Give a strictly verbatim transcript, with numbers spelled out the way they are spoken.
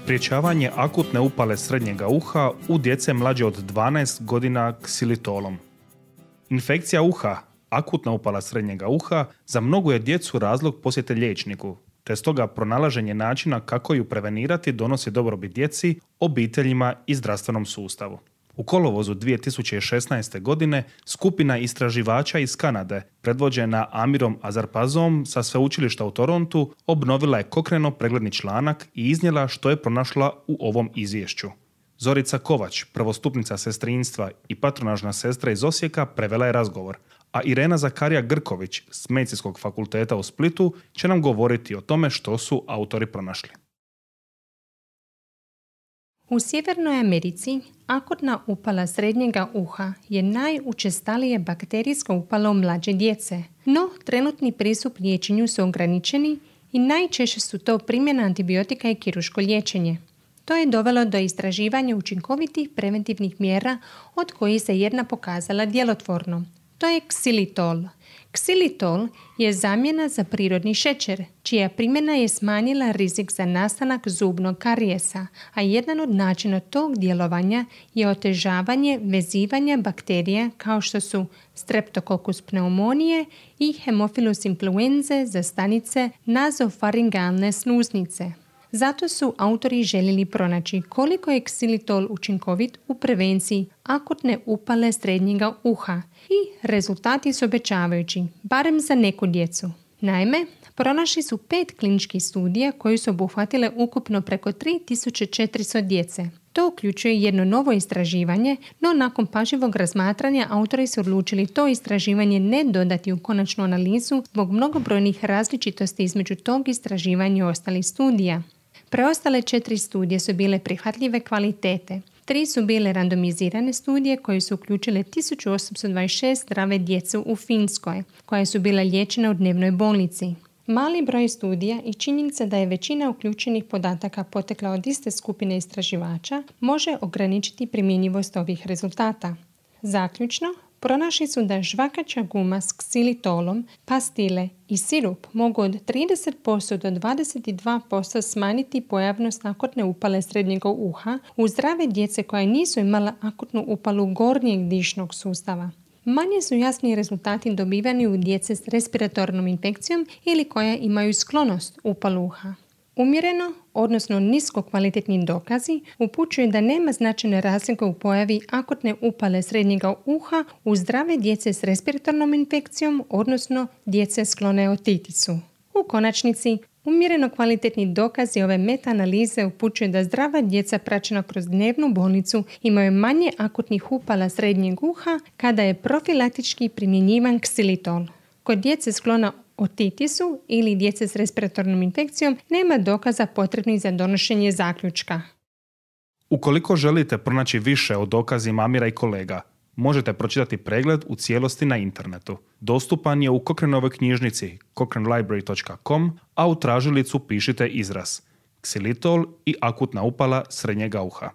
Sprječavanje akutne upale srednjega uha u djece mlađe od dvanaest godina ksilitolom. Infekcija uha, akutna upala srednjega uha, za mnogu je djecu razlog posjete liječniku, te stoga pronalaženje načina kako ju prevenirati donosi dobrobit djeci, obiteljima i zdravstvenom sustavu. U kolovozu dvije tisuće šesnaeste. godine skupina istraživača iz Kanade, predvođena Amirom Azarpazom sa sveučilišta u Torontu, obnovila je Cochranov pregledni članak i iznijela što je pronašla u ovom izvješću. Zorica Kovač, prvostupnica sestrinstva i patronažna sestra iz Osijeka, prevela je razgovor, a Irena Zakarija Grković s Medicinskog fakulteta u Splitu će nam govoriti o tome što su autori pronašli. U Sjevernoj Americi akutna upala srednjega uha je najučestalije bakterijsko upalo mlađe djece, no trenutni pristup liječenju su ograničeni i najčešće su to primjena antibiotika i kirurško liječenje. To je dovelo do istraživanja učinkovitih preventivnih mjera od kojih se jedna pokazala djelotvornom. To je ksilitol. Ksilitol je zamjena za prirodni šećer, čija primjena je smanjila rizik za nastanak zubnog karijesa, a jedan od načina tog djelovanja je otežavanje vezivanja bakterija kao što su Streptococcus pneumonije i Haemophilus influenzae za stanice nazofaringalne sluznice. Zato su autori željeli pronaći koliko je ksilitol učinkovit u prevenciji akutne upale srednjega uha i rezultati su obećavajući, barem za neku djecu. Naime, pronašli su pet kliničkih studija koji su obuhvatile ukupno preko tri tisuće četiristo djece. To uključuje jedno novo istraživanje, no nakon pažljivog razmatranja autori su odlučili to istraživanje ne dodati u konačnu analizu zbog mnogobrojnih različitosti između tog istraživanja i ostalih studija. Preostale četiri studije su bile prihvatljive kvalitete. Tri su bile randomizirane studije koje su uključile tisuću osamsto dvadeset šest zdrave djece u Finskoj, koja su bila liječena u dnevnoj bolnici. Mali broj studija i činjenica da je većina uključenih podataka potekla od iste skupine istraživača može ograničiti primjenjivost ovih rezultata. Zaključno, pronašli su da žvakaća guma s ksilitolom, pastile i sirup mogu od trideset posto do dvadeset dva posto smanjiti pojavnost akutne upale srednjega uha u zdrave djece koja nisu imala akutnu upalu gornjeg dišnog sustava. Manje su jasni rezultati dobivani u djece s respiratornom infekcijom ili koja imaju sklonost upalu uha. Umjereno, odnosno nisko kvalitetni dokazi, upućuju da nema značajne razlike u pojavi akutne upale srednjega uha u zdrave djece s respiratornom infekcijom, odnosno djece sklone otitisu. U konačnici, umjereno kvalitetni dokazi ove meta-analize upućuju da zdrava djeca praćena kroz dnevnu bolnicu imaju manje akutnih upala srednjeg uha kada je profilaktički primjenjivan ksilitol. Kod djece sklona otitisu ili djece s respiratornom infekcijom nema dokaza potrebnih za donošenje zaključka. Ukoliko želite pronaći više o dokazima Amira i kolega, možete pročitati pregled u cijelosti na internetu. Dostupan je u Cochranovoj knjižnici cochrane library dot com, a u tražilicu pišite izraz ksilitol i akutna upala srednjega uha.